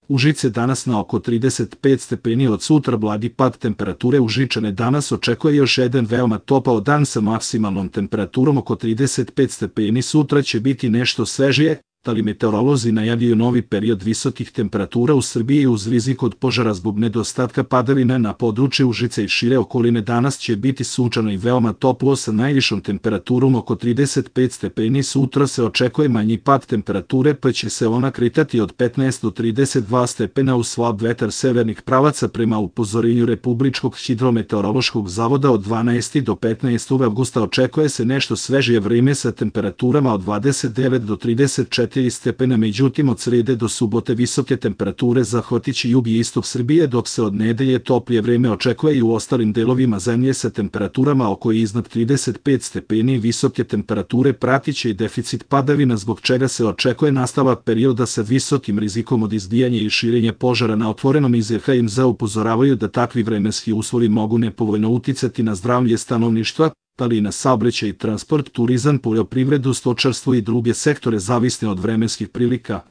Užice danas na oko 35 stepeni, od sutra blagi pad temperature. Užičane danas očekuje još jedan veoma topao dan sa maksimalnom temperaturom oko 35 stepeni. Sutra će biti nešto svežije, ali meteorolozi najavljuju novi period visokih temperatura u Srbiji uz rizik od požara zbog nedostatka padavina na području Užica i šire okoline. Danas će biti sunčano i veoma toplo sa najvišom temperaturom oko 35 stepeni. Sutra se očekuje manji pad temperature, pa će se ona kretati od 15 do 32 stepena uz slab vetar severnih pravaca. Prema upozorenju Republičkog hidrometeorološkog zavoda od 12. do 15. avgusta očekuje se nešto svežije vreme sa temperaturama od 29 do 34 stepena, međutim od srede do subote visoke temperature zahvatiće jug i istok Srbije, dok se od nedelje toplije vreme očekuje i u ostalim delovima zemlje sa temperaturama oko i iznad 35 stepeni. Visoke temperature pratiće i deficit padavina, zbog čega se očekuje nastavak perioda sa visokim rizikom od izbijanja i širenja požara na otvorenom. Iz EHMZ upozoravaju da takvi vremenski uslovi mogu nepovoljno uticati na zdravlje stanovništva, ali i na saobraćaj i transport, turizam, poljoprivredu, stočarstvo i druge sektore zavisne od vremenskih prilika.